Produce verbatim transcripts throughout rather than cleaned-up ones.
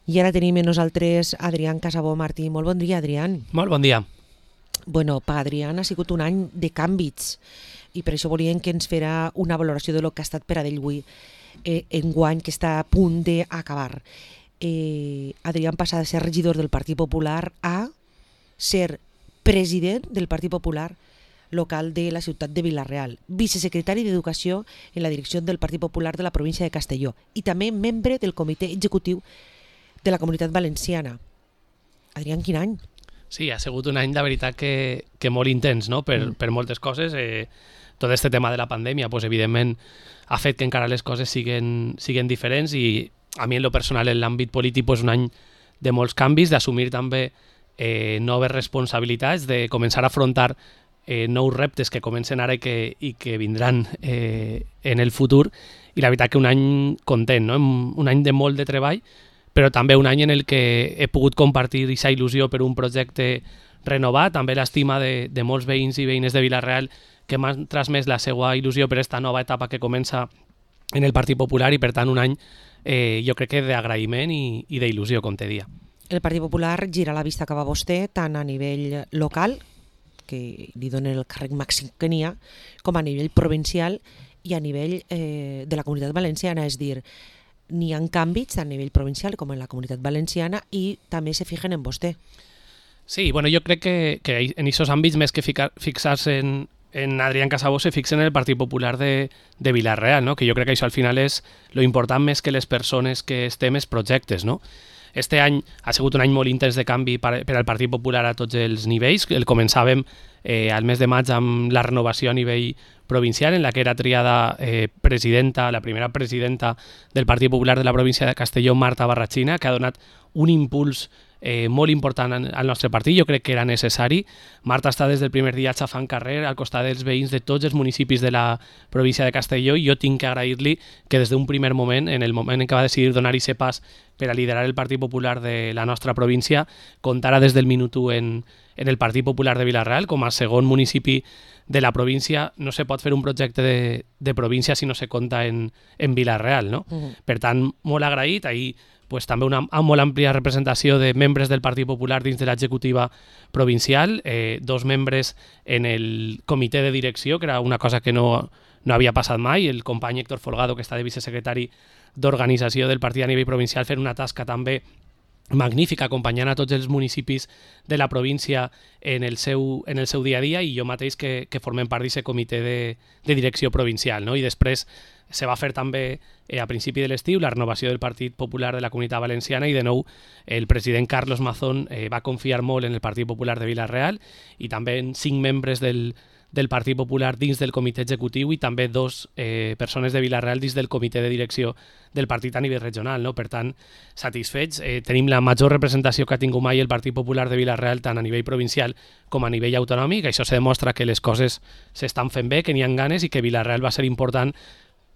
I ara tenim amb nosaltres Adrián Casabó Martí. Molt bon dia, Adrián. Molt bon dia. Bueno, per Adrián ha sigut un any de canvis i per això volíem que ens fera una valoració de lo que ha estat per a ell avui eh, enguany, que està a punt d'acabar. Eh, Adrián passa de ser regidor del Partit Popular a ser president del Partit Popular local de la ciutat de Vila-real, vicesecretari d'Educació en la direcció del Partit Popular de la província de Castelló i també membre del comitè executiu de la Comunitat Valenciana. Adrián, quin any? Sí, ha sigut un any, la veritat, que, que molt intens, no? per, mm. per moltes coses. Eh, tot este tema de la pandèmia, pues, evidentment, ha fet que encara les coses siguen, siguen diferents i a mi, en lo personal, en l'àmbit polític, pues, un any de molts canvis, d'assumir també eh, noves responsabilitats, de començar a afrontar eh, nous reptes que comencen ara i que, i que vindran eh, en el futur. I la veritat que un any content, no? Un any de molt de treball, però també un any en el que he pogut compartir aquesta il·lusió per un projecte renovat, també l'estima de, de molts veïns i veïnes de Vila-real que m'han transmès la seva il·lusió per aquesta nova etapa que comença en el Partit Popular i, per tant, un any eh, jo crec que d'agraïment i, i d'il·lusió, com te dia. El Partit Popular gira la vista cap a vostè tant a nivell local, que li dona el càrrec màxim que n'hi ha, com a nivell provincial i a nivell eh, de la Comunitat Valenciana, és dir, n'hi ha canvis a nivell provincial com en la Comunitat Valenciana i també se fijen en vostè. Sí, bueno, jo crec que, que en aquests àmbits, més que fixar-se en, en Adrián Casabó, se fixen en el Partit Popular de, de Vila-real, no? Que jo crec que això al final és lo important més que les persones que estem, els projectes, no? Este any ha sigut un any molt intens de canvi per, per al Partit Popular a tots els nivells. El començàvem eh, al mes de maig amb la renovació a nivell provincial, en la que era triada eh, presidenta, la primera presidenta del Partit Popular de la província de Castelló, Marta Barratxina, que ha donat un impuls eh, molt important al nostre partit. Jo crec que era necessari. Marta està des del primer dia xafant carrer al costat dels veïns de tots els municipis de la província de Castelló i jo tinc que agrair-li que des d'un primer moment, en el moment en què va decidir donar aquest pas per a liderar el Partit Popular de la nostra província, comptara des del minut u en, en el Partit Popular de Vila-real com a segon municipi de la província. No se pot fer un projecte de, de província si no se compta en, en Vila-real, no? Uh-huh. Per tant, molt agraït. Ahir pues, també una molt àmplia representació de membres del Partit Popular dins de l'executiva provincial, eh, dos membres en el comitè de direcció, que era una cosa que no, no havia passat mai, el company Héctor Folgado, que està de vicesecretari d'organització del partit a nivell provincial, fent una tasca també magnífica, acompanyant a tots els municipis de la província en el seu, en el seu dia a dia, i jo mateix que, que formem part d'aquest comitè de, de direcció provincial, no? I després se va fer també eh, a principi de l'estiu la renovació del Partit Popular de la Comunitat Valenciana i de nou el president Carlos Mazón eh, va confiar molt en el Partit Popular de Vila-real i també en cinc membres del del Partit Popular dins del comitè executiu i també dos eh, persones de Vila-real dins del comitè de direcció del partit a nivell regional, no? Per tant, satisfets. Eh, tenim la major representació que ha tingut mai el Partit Popular de Vila-real tant a nivell provincial com a nivell autonòmic. Això se demostra que les coses s'estan fent bé, que n'hi ha ganes i que Vila-real va ser important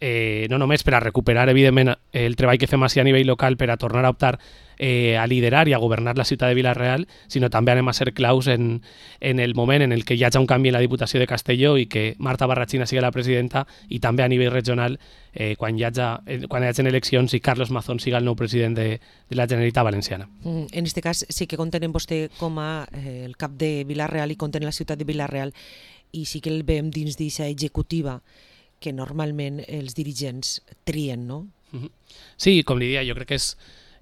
eh, no només per a recuperar, evidentment, el treball que fem així a nivell local per a tornar a optar eh, a liderar i a governar la ciutat de Vila-real, sinó també anem a ser claus en, en el moment en el que hi hagi un canvi en la Diputació de Castelló i que Marta Barratxina sigui la presidenta i també a nivell regional eh, quan, hi hagi, eh, quan hi hagi eleccions i Carlos Mazón siga el nou president de, de la Generalitat Valenciana. Mm, en aquest cas sí que compten en vostè com a eh, el cap de Vila-real i compten en la ciutat de Vila-real i sí que el veiem dins d'aquesta executiva que normalment els dirigents trien, no? Sí, com li dia, jo crec que és,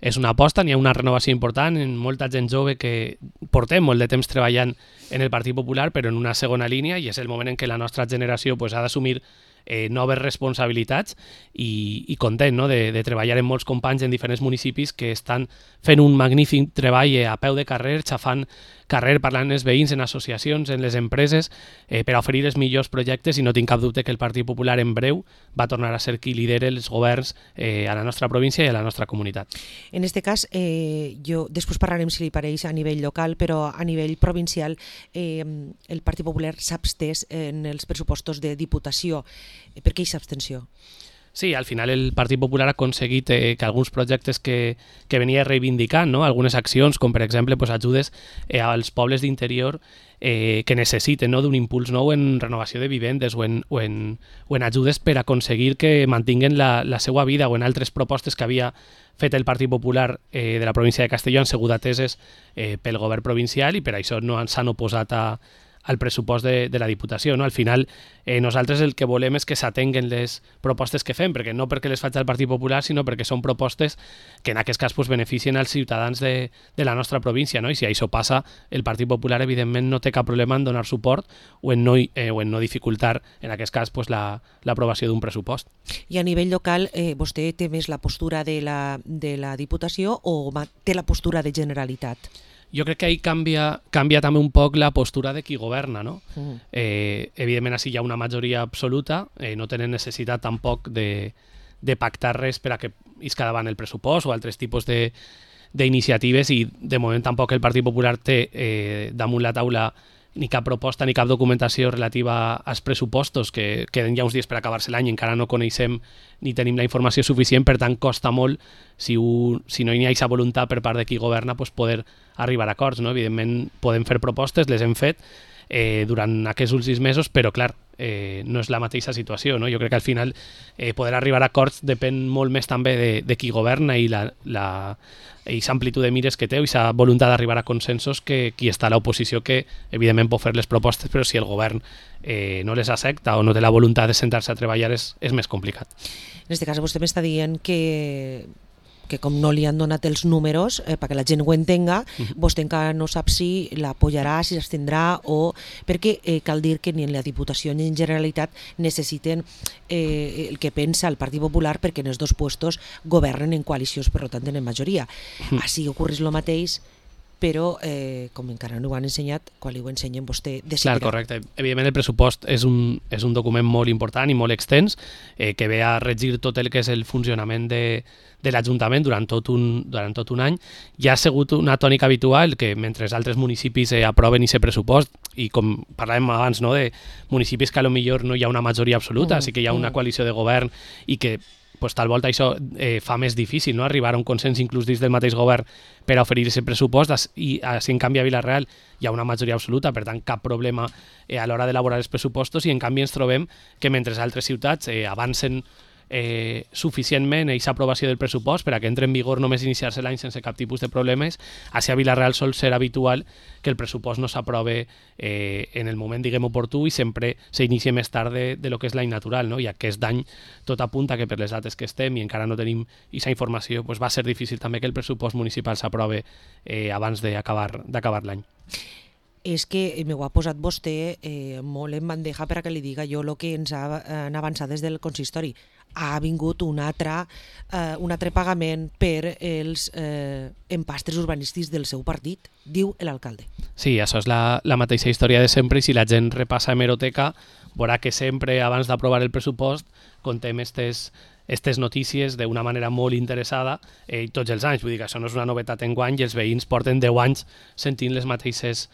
és una aposta, n'hi ha una renovació important, en molta gent jove que portem molt de temps treballant en el Partit Popular, però en una segona línia, i és el moment en què la nostra generació pues, ha d'assumir eh, noves responsabilitats i, i content, no? de, de treballar amb molts companys en diferents municipis que estan fent un magnífic treball a peu de carrer, xafant carrer, parlant amb els veïns, en associacions, en les empreses, eh, per a oferir els millors projectes, i no tinc cap dubte que el Partit Popular en breu va tornar a ser qui lidera els governs eh, a la nostra província i a la nostra comunitat. En aquest cas, eh, jo després parlarem, si li pareix, a nivell local, però a nivell provincial eh, el Partit Popular s'ha abstès en els pressupostos de Diputació. Per què aquesta abstenció? Sí, al final el Partit Popular ha aconseguit eh, que alguns projectes que, que venia reivindicant, no? Algunes accions, com per exemple pues, ajudes eh, als pobles d'interior eh, que necessiten, no? D'un impuls nou en renovació de vivendes o en, o en, o en ajudes per aconseguir que mantinguen la, la seva vida, o en altres propostes que havia fet el Partit Popular eh, de la província de Castelló han sigut ateses eh, pel govern provincial i per això no s'han oposat a al pressupost de, de la Diputació. No? Al final, eh, nosaltres el que volem és que s'atenguen les propostes que fem, perquè no perquè les faig el Partit Popular, sinó perquè són propostes que en aquest cas pues, beneficien als ciutadans de, de la nostra província. No? I si això passa, el Partit Popular evidentment no té cap problema en donar suport o en no, eh, o en no dificultar, en aquest cas, pues, la, l'aprovació d'un pressupost. I a nivell local, eh, vostè té més la postura de la, de la Diputació o té la postura de Generalitat? Jo crec que ahí canvia, canvia també un poc la postura de qui governa, no? Mm. Eh, evidentment, així hi ha una majoria absoluta, eh, no tenen necessitat tampoc de, de pactar res per a que isca davant el pressupost o altres tipus de d'iniciatives, i de moment tampoc el Partit Popular té eh, damunt la taula ni cap proposta ni cap documentació relativa als pressupostos, que queden ja uns dies per acabar-se l'any i encara no coneixem ni tenim la informació suficient, per tant costa molt, si, un, si no hi ha aquesta voluntat per part de qui governa, pues poder arribar a acords. No? Evidentment podem fer propostes, les hem fet eh, durant aquests últims mesos, però clar, eh, no és la mateixa situació. No? Jo crec que al final eh, poder arribar a acords depèn molt més també de, de qui governa i la, la aquesta amplitud de mires que té, i aquesta voluntat d'arribar a consensos, que qui està a l'oposició, que evidentment pot fer les propostes, però si el govern eh, no les accepta o no té la voluntat de sentar-se a treballar, és, és més complicat. En aquest cas vostè m'està dient que que com no li han donat els números eh, perquè la gent ho entenga, uh-huh. vostè encara no sap si l'apoyarà, si s'abstindrà, o perquè eh, cal dir que ni en la Diputació ni en Generalitat necessiten eh, el que pensa el Partit Popular, perquè en els dos puestos governen en coalicions, per tant tenen majoria. Uh-huh. Així ocorreix el mateix, però eh, com encara no ho han ensenyat, quan li ho ensenyen vostè decidirà. Clar, correcte. Evidentment el pressupost és un, és un document molt important i molt extens, eh, que ve a regir tot el que és el funcionament de, de l'Ajuntament durant tot, un, durant tot un any. Ja ha sigut una tònica habitual que mentre altres municipis eh, aproven aquest pressupost, i com parlàvem abans, no, de municipis que potser no hi ha una majoria absoluta, mm, sí que hi ha una coalició de govern i que pues, tal volta això eh, fa més difícil, no? Arribar a un consens inclús dins del mateix govern per a oferir aquest pressupost, i si en canvi a Vila-real hi ha una majoria absoluta, per tant cap problema eh, a l'hora d'elaborar els pressupostos, i en canvi ens trobem que mentre altres ciutats eh, avancen eh, suficientment aquesta aprovació del pressupost per a que entre en vigor només iniciar-se l'any sense cap tipus de problemes, així a Vila-real sol ser habitual que el pressupost no s'aprove eh, en el moment, diguem, oportú, i sempre s'inicia més tard de, de lo que és l'any natural, no? I aquest any tot apunta que per les dates que estem i encara no tenim aquesta informació, pues va ser difícil també que el pressupost municipal s'aprove eh, abans d'acabar d'acabar l'any. És que m'ho ha posat vostè eh, molt en bandeja per a que li diga jo el que ens ha, han avançat des del consistori. Ha vingut un altre, eh, un altre pagament per els eh, empastres urbanístics del seu partit, diu l'alcalde. Sí, això és la, la mateixa història de sempre, i si la gent repassa hemeroteca veurà que sempre abans d'aprovar el pressupost contem estes aquestes notícies d'una manera molt interessada eh, tots els anys. Vull dir que això no és una novetat enguany, i els veïns porten deu anys sentint les mateixes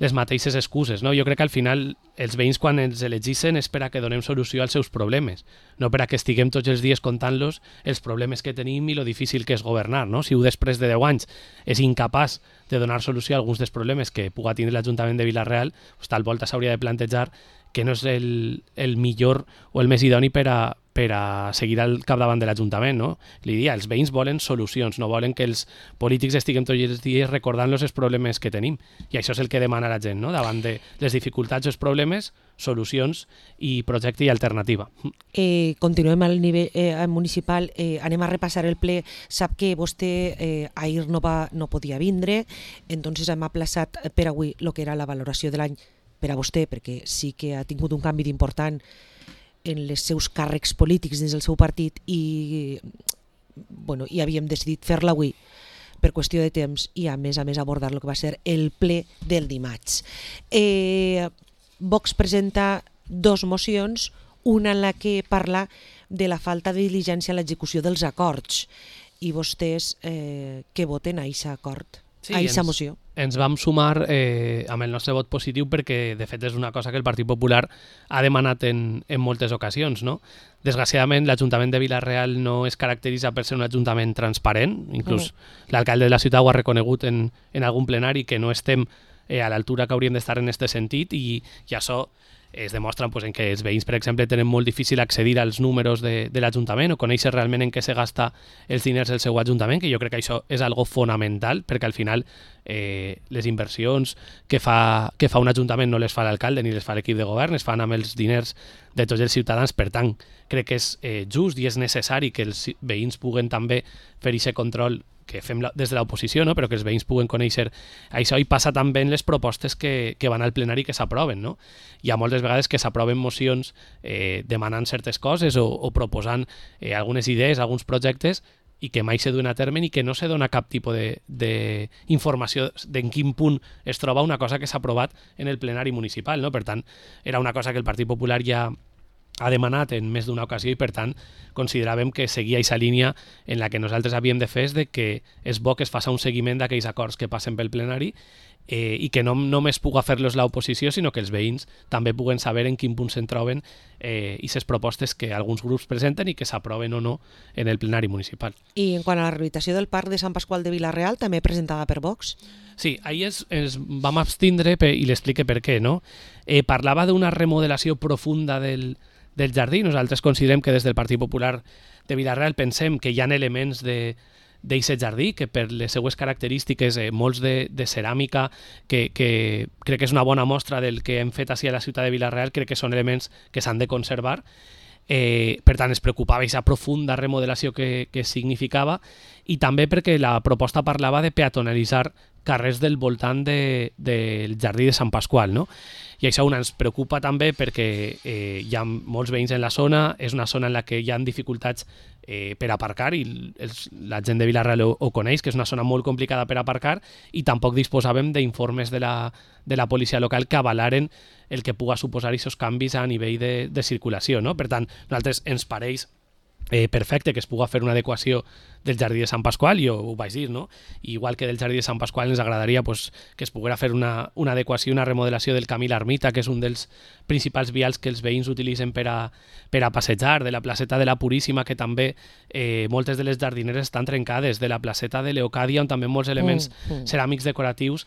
les mateixes excuses. No? Jo crec que al final els veïns, quan ens elegissin, és per a que donem solució als seus problemes, no per a que estiguem tots els dies contant-los els problemes que tenim i lo difícil que és governar. No? Si un després de deu anys és incapaç de donar solució a alguns dels problemes que puga tindre l'Ajuntament de Vila-real, pues, tal volta s'hauria de plantejar que no és el, el millor o el més idoni per a, per a seguir al capdavant de l'Ajuntament. No? Li dia, els veïns volen solucions, no volen que els polítics estiguem tots els dies recordant-los els problemes que tenim. I això és el que demana la gent, no? Davant de les dificultats o els problemes, solucions i projecte i alternativa. Eh, continuem al nivell eh, municipal, eh, anem a repassar el ple. Sap que vostè eh, ahir no, va, no podia vindre, entonces hem aplaçat per avui el que era la valoració de l'any per a vostè, perquè sí que ha tingut un canvi important en els seus càrrecs polítics dins del seu partit, i, bueno, i havíem decidit fer-la avui per qüestió de temps, i a més a més abordar el que va ser el ple del dimarts. Eh, Vox presenta dos mocions, una en la que parla de la falta de diligència en l'execució dels acords, i vostès eh, què voten a aquest acord? Sí, a aquesta ens, moció. ens vam sumar eh, amb el nostre vot positiu perquè, de fet, és una cosa que el Partit Popular ha demanat en, en moltes ocasions, no? Desgraciadament, l'Ajuntament de Vila-real no es caracteritza per ser un ajuntament transparent, inclús mm. l'alcalde de la ciutat ho ha reconegut en, en algun plenari, que no estem eh, a l'altura que hauríem d'estar en aquest sentit, i, i això es demostra pues, en que els veïns, per exemple, tenen molt difícil accedir als números de, de l'Ajuntament o conèixer realment en què se gasta els diners del seu Ajuntament, que jo crec que això és algo fonamental, perquè al final eh, les inversions que fa, que fa un Ajuntament no les fa l'alcalde ni les fa l'equip de govern, es fan amb els diners de tots els ciutadans. Per tant, crec que és eh, just i és necessari que els veïns puguen també fer aquest control que fem la, des de l'oposició, no? Però que els veïns puguen conèixer això, i passa també en les propostes que, que van al plenari que s'aproven, no? Hi ha moltes vegades que s'aproven mocions eh, demanant certes coses o, o proposant eh, algunes idees, alguns projectes, i que mai se duen a terme i que no se dona cap tipus d'informació d'en quin punt es troba una cosa que s'ha aprovat en el plenari municipal, no? Per tant, era una cosa que el Partit Popular ja ha demanat en més d'una ocasió i, per tant, consideràvem que seguia aquesta línia en la que nosaltres havíem de fer, de que és bo que es faci un seguiment d'aquells acords que passen pel plenari eh, i que no només puga fer-los l'oposició, sinó que els veïns també puguen saber en quin punt se'n troben eh, i les propostes que alguns grups presenten i que s'aproven o no en el plenari municipal. I en quant a la rehabilitació del Parc de Sant Pasqual de Vila-real, també presentada per Vox? Sí, ahir es, ens vam abstindre per, i l'explique per què, no? Eh, parlava d'una remodelació profunda del del jardí. Nosaltres considerem que des del Partit Popular de Vila-real pensem que hi ha elements de d'aquest jardí que per les seues característiques, eh, molts de, de ceràmica, que, que crec que és una bona mostra del que hem fet així a la ciutat de Vila-real, crec que són elements que s'han de conservar. Eh, per tant, es preocupava aquesta profunda remodelació que, que significava, i també perquè la proposta parlava de peatonalitzar carrers del voltant de, del jardí de Sant Pasqual, no? I això una ens preocupa també perquè eh, hi ha molts veïns en la zona, és una zona en la que hi ha dificultats eh, per aparcar, i els, la gent de Vila-real ho, ho coneix, que és una zona molt complicada per aparcar, i tampoc disposàvem d'informes de la, de la policia local que avalaren el que puga suposar aquests canvis a nivell de, de circulació, no? Per tant, a nosaltres ens pareix Eh, perfecte que es puga fer una adequació del jardí de Sant Pasqual, jo ho vaig dir, no? I igual que del jardí de Sant Pasqual ens agradaria pues, que es poguera fer una, una adequació, una remodelació del camí L'Ermita, que és un dels principals vials que els veïns utilitzen per a, per a passejar, de la placeta de la Puríssima, que també eh, moltes de les jardineres estan trencades, de la placeta de Leocàdia, on també molts elements mm, mm. ceràmics decoratius.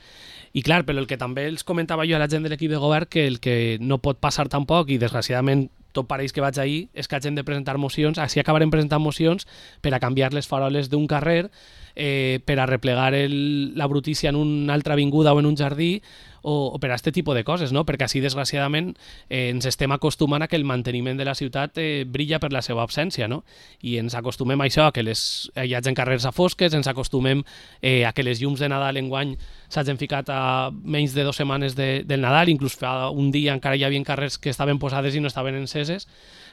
I clar, però el que també els comentava jo a la gent de l'equip de govern, que el que no pot passar tampoc, i desgraciadament tot pareix que vaig ahir, és que hagin de presentar mocions, així acabarem presentant mocions per a canviar les faroles d'un carrer, eh, per a replegar el, la brutícia en una altra avinguda o en un jardí, o, o per a aquest tipus de coses, no? Perquè així, desgraciadament, eh, ens estem acostumant a que el manteniment de la ciutat eh, brilla per la seva absència, no? I ens acostumem a això, a que les, hi hagi carrers a fosques, ens acostumem eh, a que les llums de Nadal enguany s'hagin ficat a menys de dues setmanes de, del Nadal, inclús fa un dia encara hi havia carrers que estaven posades i no estaven enceses.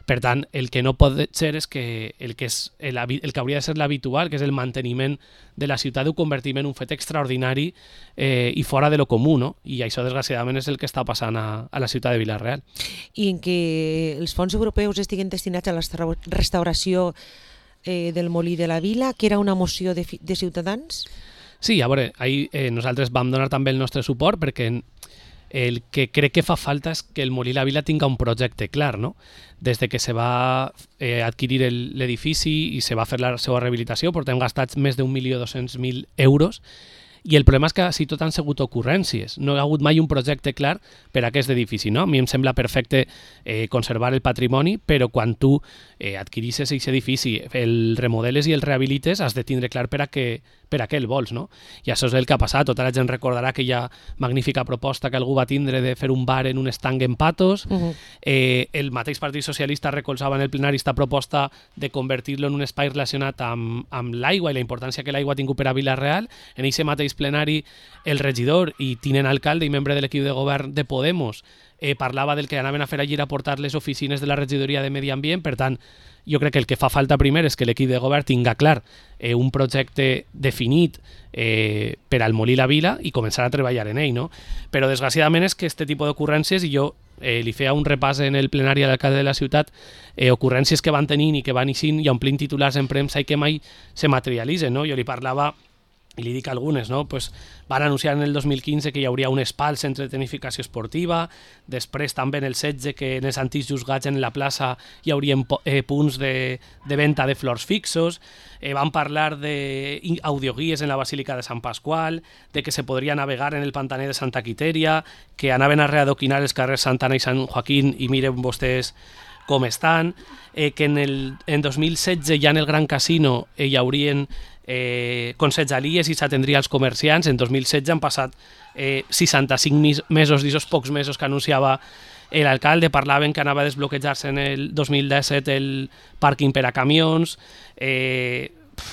Per tant, el que no pot ser és que el que, és el, el que hauria de ser l'habitual, que és el manteniment de la ciutat, ho convertim en un fet extraordinari eh, i fora de lo comú, no? I això, desgraciadament, és el que està passant a, a la ciutat de Vila-real. I en què els fons europeus estiguen destinats a la restauració eh, del Molí de la Vila, que era una moció de, de Ciutadans? Sí, a veure, ahir eh, nosaltres vam donar també el nostre suport, perquè el que crec que fa falta és que el Molí la Vila tinga un projecte clar, no? Des de que se va eh, adquirir l'edifici i se va fer la seva rehabilitació, portem gastats més d'un milió dos-cents mil euros, i el problema és que si tot han sigut ocurrències, no hi ha hagut mai un projecte clar per a aquest edifici, no? A mi em sembla perfecte eh, conservar el patrimoni, però quan tu eh, adquirisses aquest edifici, el remodeles i el rehabilites, has de tindre clar per a què, per a què el vols, no? I això és el que ha passat. Tota la gent recordarà aquella magnífica proposta que algú va tindre de fer un bar en un estanc en Patos. Uh-huh. eh, el mateix Partit Socialista recolzava en el plenari aquesta proposta de convertir-lo en un espai relacionat amb, amb l'aigua i la importància que l'aigua ha tingut per a Vila-real. En aquest mateix plenari, el regidor i tinent alcalde i membre de l'equip de govern de Podemos eh, parlava del que anaven a fer allí a portar les oficines de la regidoria de Medi Ambient. Per tant, jo crec que el que fa falta primer és que l'equip de govern tinga clar eh, un projecte definit eh, per al Molí la Vila i començar a treballar en ell, no? Però desgraciadament és que aquest tipus d'ocurrències, i jo eh, li feia un repàs en el plenari a l'alcalde de la ciutat, eh, ocurrències que van tenint i que van eixint i omplint titulars en premsa i que mai se materialitzen, no? Jo li parlava i li dic algunes, no? Pues van anunciar en el dos mil quinze que hi hauria un spa al centre de tecnificació esportiva, després també en el setze que en els antics juzgats en la plaça hi haurien eh, punts de, de venda de flors fixos, eh, van parlar d'audioguies en la Basílica de Sant Pasqual, de que se podria navegar en el pantaner de Santa Quiteria, que anaven a readoquinar els carrers Santana i Sant Joaquín i miren vostès com estan, eh, que en el en dos mil setze ja en el Gran Casino eh, hi haurien eh, consejalies i s'atendria als comerciants. En dos mil setze han passat eh, seixanta-cinc mesos d'aquests pocs mesos que anunciava l'alcalde, parlaven que anava a desbloquejar-se en el dos mil disset el pàrquing per a camions, eh,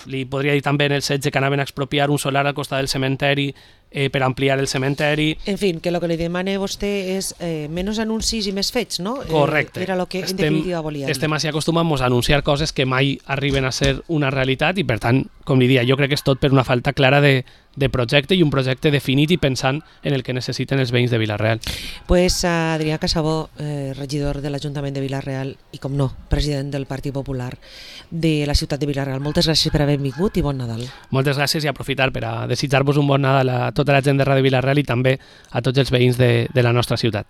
li podria dir també en el setze que anaven a expropiar un solar al costat del cementeri eh, per ampliar el cementeri. En fi, que el que li demana vostè és eh, menys anuncis i més fets, no? Correcte. Eh, era el que en estem, definitiva volien. Estem així acostumats a anunciar coses que mai arriben a ser una realitat i, per tant, com li dia, jo crec que és tot per una falta clara de, de projecte i un projecte definit i pensant en el que necessiten els veïns de Vila-real. Pues Adrià Casabó, eh, regidor de l'Ajuntament de Vila-real i, com no, president del Partit Popular de la ciutat de Vila-real. Moltes gràcies per haver vingut i bon Nadal. Moltes gràcies i aprofitar per a desitjar-vos un bon Nadal a tota la gent de Ràdio Vila-real i també a tots els veïns de, de la nostra ciutat.